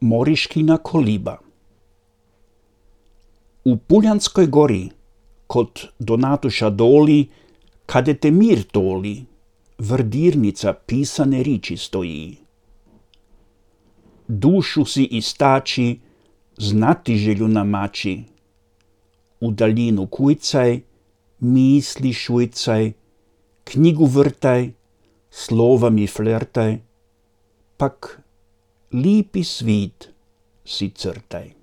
Moriškina koliba. U Puljanskoj gori, kod Donatuša Doli, kade te mir toli, vrdirnica pisane riči stoji. Dušu si istači, znati želju namači. U daljinu kujcaj, misli šujcaj, knjigu vrtaj, slova mi flertaj, pak lipi svit si crtaj.